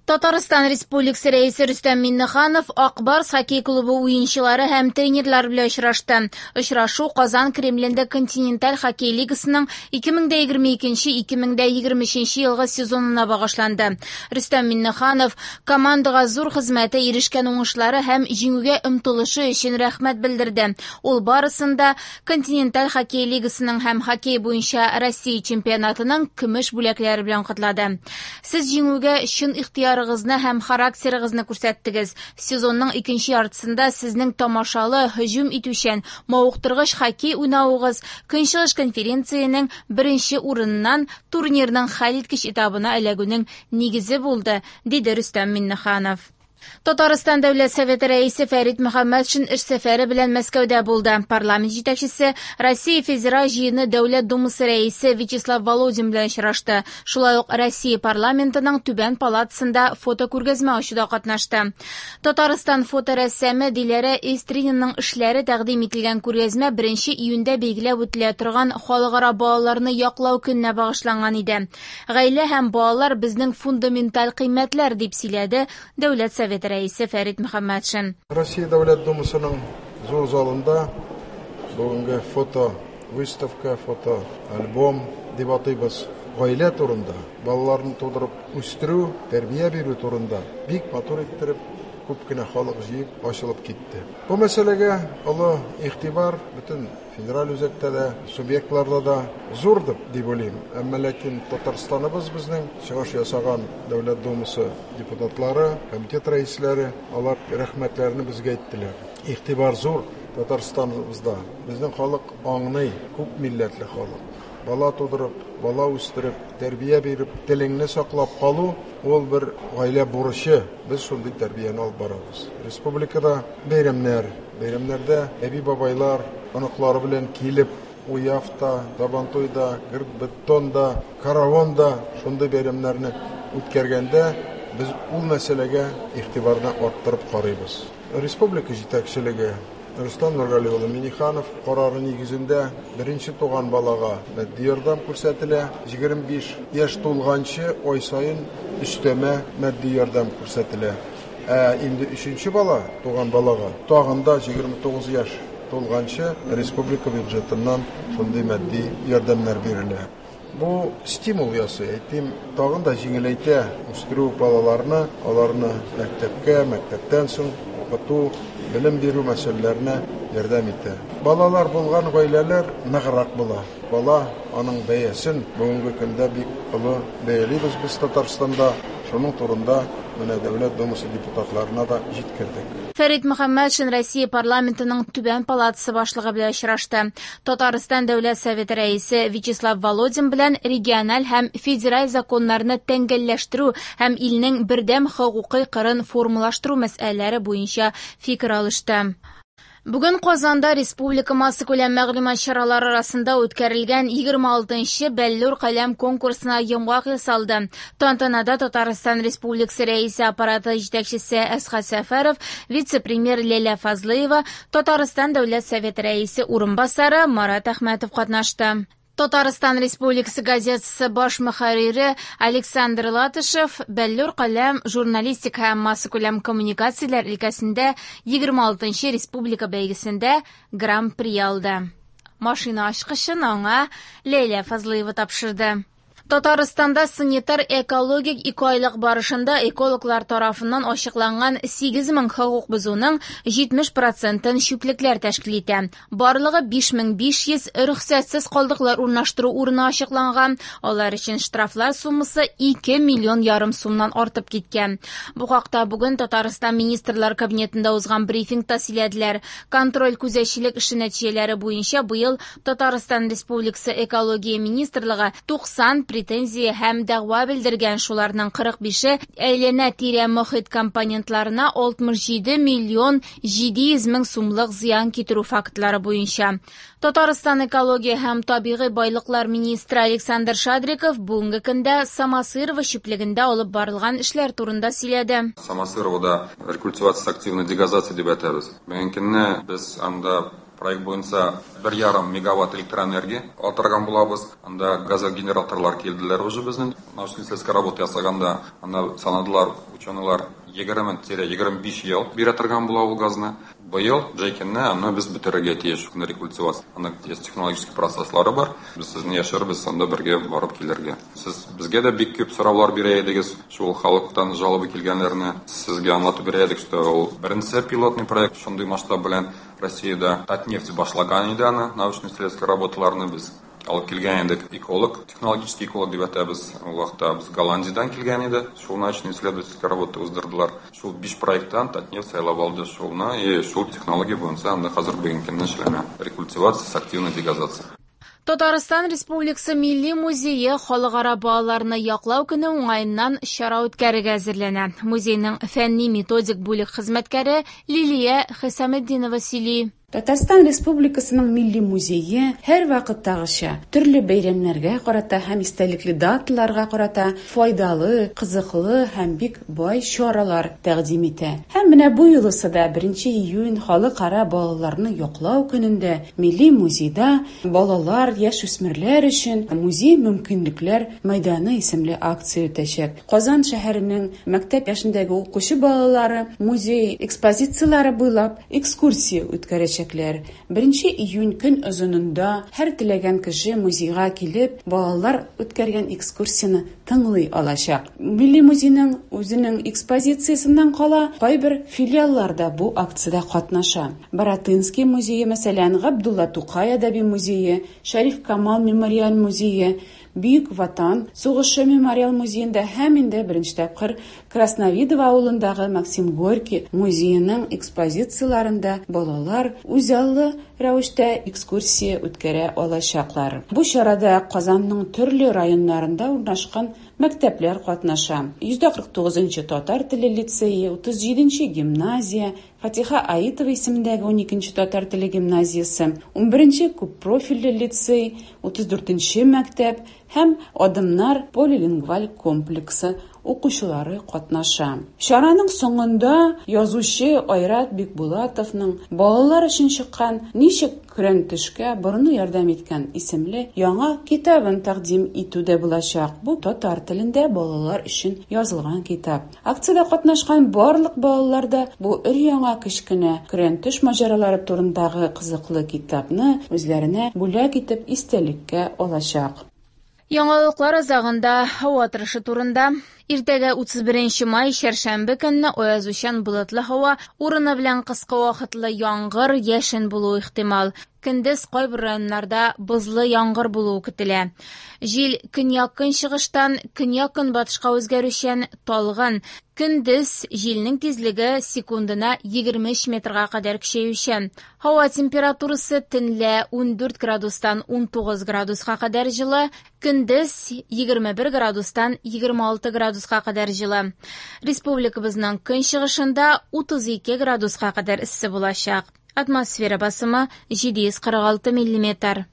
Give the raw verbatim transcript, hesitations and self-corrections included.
Татарстан Республикасы Рәисе Рөстәм Миңнеханов Ак Барс хоккей клубы уенчылары һәм тренерлар белән очрашты. Очрашу Казан Кремлендә Континенталь хоккей лигасының ике мең дә егерме икенче-ике мең дә егерме өченче елгы сезонына багышланды. Рөстәм Миңнеханов командага зур хезмәте, ирешкән уңышлары һәм җиңүгә омтылышы өчен рәхмәт белдерде. Ул барысын да Континенталь хоккей лигасының һәм хоккей буенча Россия чемпионатының көмеш бүләкләре белән котлады. Сез җиңүгә чын ихтыяр Ны һәм характерыгызны күрсәттегез. Сезонның икенче яртысында сезнең тамашалы, һөҗүм итүчән, мавыктыргыч хоккей уйнавыгыз Көнчыгыш конференциянең беренче урыныннан турнирның хәлиткеч этабына эләгүнең нигезе булды, диде Рөстәм Миңнеханов. Татарстан Дәүләт Советы рәисе Фәрит Мөхәммәтшин эш сәфәре белән Мәскәүдә булды. Парламент җитәкчесе Россия Федераль Җыены Дәүләт Думасы рәисе Вячеслав Володин белән очрашты. Шулай ук Россия парламентының түбән палатасында фотокүргәзмә ачуда катнашты. Татарстан фоторәссамы Диләрә Истринаның эшләре тәкъдим ителгән күргәзмә беренче июньдә билгеләп үтелә торган Халыкара балаларны яклау көненә багышланган иде. Гаилә һәм балалар безнең фундаменталь кыйммәтләр, дип сөйләде Дәүләт Советы рәисе Фәрит Мөхәммәтшин. Россия Дәүләт Думасының зур залында бүгенге фото выставка, фото альбом дип атыйбыз. Гаилә турында, балаларны тудырып үстерү, тәрбия бирү турында бик матур иттереп күп кенә халык җыеп ачылып китте. Бу мәсьәләгә олы игътибар бөтен федераль үзәктә дә, субъектларда да зур дип уйлыйм. Әмма ләкин Татарстаныбыз безнең чыгыш ясаган Дәүләт Думасы депутатлары, комитет рәисләре, алар рәхмәтләрен безгә әйттеләр. Игътибар зур Татарстаныбызда. Безнең халык аңлый, күп милләтле халык. Бала тудырып, бала үстереп, тәрбия биреп, телеңне саклап калу ул бер гаилә бурычы. Без шундый тәрбияне алып барабыз. Республикада бәйрәмнәр, бәйрәмнәрдә әби-бабайлар оныклары белән килеп, Уявта, Сабантуйда, Гырт-бетонда, Каравонда шундый бәйрәмнәрне үткәргәндә без ул мәсьәләгә игътибарны арттырып карыйбыз. Республика җитәкчелеге Рөстәм Нургали улы Миңнеханов карары нигезендә беренче туган балага матди ярдәм күрсәтелә, егерме биш яшь тулганчы ай саен өстәмә матди ярдәм күрсәтелә. Ә инде өченче бала туган балага тагын да егерме тугыз яшь тулганчы республика бюджетыннан шундый матди ярдәмнәр бирелә. Бу стимул ясый, әйтим, тагын да җиңеләйтә үстерү балаларны, аларны мәктәпкә, мәктәптән соң укыту, белем бирү мәсьәләләренә ярдәм итә. Балалар булган гаиләләр ныграк була. Бала аның бәясен бүгенге көндә бик олы бәялибез без Татарстанда. Шуның турында менә Дәүләт Думасы депутатларына да җиткердек. Фәрит Мөхәммәтшин Россия парламентының түбән палатасы башлыгы белән очрашты. Татарстан Дәүләт Советы рәисе Вячеслав Володин белән региональ һәм федераль законнарны тәңгәлләштерү һәм илнең бердәм хокукый кырын формалаштыру мәсьәләләре буенча фикер алышты. Бүген Казанда республика массакүләм мәгълүмат чаралары арасында үткәрелгән егерме алтынчы Бәллүр каләм конкурсына йомгак ясалды. Тантанада Татарстан Республикасы рәисе аппараты җитәкчесе Әсхәт Сәфәров, вице-премьер Ләйлә Фазлыева, Татарстан Дәүләт Советы рәисе урынбасары Марат Әхмәтов катнашты. Татарстан Республикасы газетасы баш мөхәррире Александр Латышев Бәллүр каләм журналистика һәм массакүләм коммуникацияләр өлкәсендә егерме алтынчы республика бәйгесендә гран-при алды. Машина ачкычын аңа Ләйлә Фазлыева тапшырды. Татарстанда санитар экологик ике айлык барышында экологлар тарафыннан ачыкланган сигез мең хокук бозуның җитмеш процентын чүплекләр тәшкил итә. Барлыгы биш мең биш йөз рөхсәтсез калдыклар урнаштыру урыны ачыкланган. Алар өчен штрафлар суммасы ике миллион ярым сумнан артып киткән. Бу хакта бүген Татарстан Министрлар Кабинетында узган брифингта сөйләделәр. Контроль күзәтчелек эше нәтиҗәләре буенча быел Татарстан Республикасы Экология министрлыгы туксан претензия һәм дәгъва белдергән, шуларның кырык бише әйләнә-тирә мохит компонентларына алтмыш җиде миллион җиде йөз мең сумлык зыян китерү фактлары буенча. Татарстан экология һәм табигый байлыклар министры Александр Шадриков бүгенге көндә Самосырово чүплегендә алып барылган эшләр турында сөйләде. Самосыровода рекультивация активной дегазация дип әйтәбез. Бүгенге көндә без анда Проект буенча бер ярым мегаватт электроэнергия ала булабыз. Анда газогенераторлар килделәр уже безнең. Научно-исследовательская работа ясаганда анда санадылар ученыйлар егерме егерме биш ел бирә торган була ул газны. Быел җәйкенне аны без бетерергә тиеш. Рекультивация. Анда есть технологический процесслары бар. Без сезне яшәрбез, анда бергә барып килергә. Сез безгә дә бик күп сораулар бирә идегез, шул халыктан жалоба килгәннәрне сезгә аңлатып бирә идек, что ул беренче пилотный проект шундый масштаб белән Россиядә Татнефть башлаган иде аны, научно-исследовательский работаларны без алып килгән идек. Эколог, технологический эколог дип әйтәбез. Ул вакытта без Голландиядән килгән иде. Шул научно-исследовательский работа уздырдылар. Шул биш проекттан Татнефть сайлап алды шулны, и шул технология буенча анда хәзер бүгенге көндә эшләнә. Рекультивация с активной дегазацией. Татарстан Республикасы Милли музее халыкара балаларны яклау көне уңаеннан чара үткәрергә әзерләнә. Музейның фәнни методик бүлек хезмәткәре Лилия Хисаметдинова сөйли. Татарстан Республикасының Милли музее һәр вакыттагыча төрле бәйрәмнәргә карата һәм истәлекле даталарга карата файдалы, кызыклы һәм бик бай чаралар тәкъдим итә. Һәм менә бу юлысы да беренче июнь халыкара балаларны яклау көнендә Милли музейда балалар, яшүсмерләр өчен музей мөмкинлекләр мәйданы исемле акция үтәчәк. Казан шәһәренең мәктәп яшендәге укучы балалары музей экспозицияләре буйлап экскурсия үткәрәчәк. Беренче июнь көн озынында һәр теләгән кеше музейга килеп, балалар үткәргән экскурсияне тыңлый алачак. Милли музейның үзенең экспозициясеннән кала кайбер филиаллар да бу акциядә катнаша. Баратынский музее, мәсәлән, Габдулла Тукай әдәби музее, Шәриф Камал мемориаль музее, Бөек Ватан сугышы мемориал музеенда һәм инде беренче тапкыр Красновидово авылындагы Максим Горький музееның экспозицияләрендә балалар үзаллы рәвештә экскурсия үткәрә алачаклар. Бу чарада Казанның төрле районнарында урнашкан мәктәпләр катнаша. йөз кырык тугызынчы татар теле лицее, утыз җиденче гимназия, Фатиха Аитова исемендәге уникенче татар теле гимназиясе, унберенче күппрофильле лицей, утыз дүртенче мәктәп һәм Адымнар полилингваль комплексы укучылары катнаша. Чараның соңында язучы Айрат Бикбулатовның балалар өчен чыккан Ничек көрән төшкә борыны ярдәм иткән исемле яңа китабын тәкъдим итү дә булачак. Бу татар телендә балалар өчен язылган китап. Акциядә катнашкан барлык балалар да бу өр-яңа кечкенә көрән төш маҗаралары турындагы кызыклы китапны үзләренә бүләк итеп истәлеккә алачак. Яңалыклар азагында һава торышы турында. Иртәгә утыз беренче май чәршәмбе көнне аязучан болытлы һава, урыны белән кыска вакытлы яңгыр, яшен булуы ихтимал. Көндез кайбер районнарда бозлы яңгыр булуы көтелә. Җил көньяк-көнчыгыштан көньяк-көнбатышка үзгәрүчән талгын. Көндез җилнең тизлеге секундына егерме өч метрга кадәр көчәючән. Һава температурасы төнлә ундүрт градустан унтугыз градуска кадәр җылы, көндез егерме бер градустан егерме алты градуска кадәр җылы. Республикабызның көнчыгышында утыз ике градуска кадәр эссе булачак. Атмосфера басымы җиде йөз кырык алты миллиметр.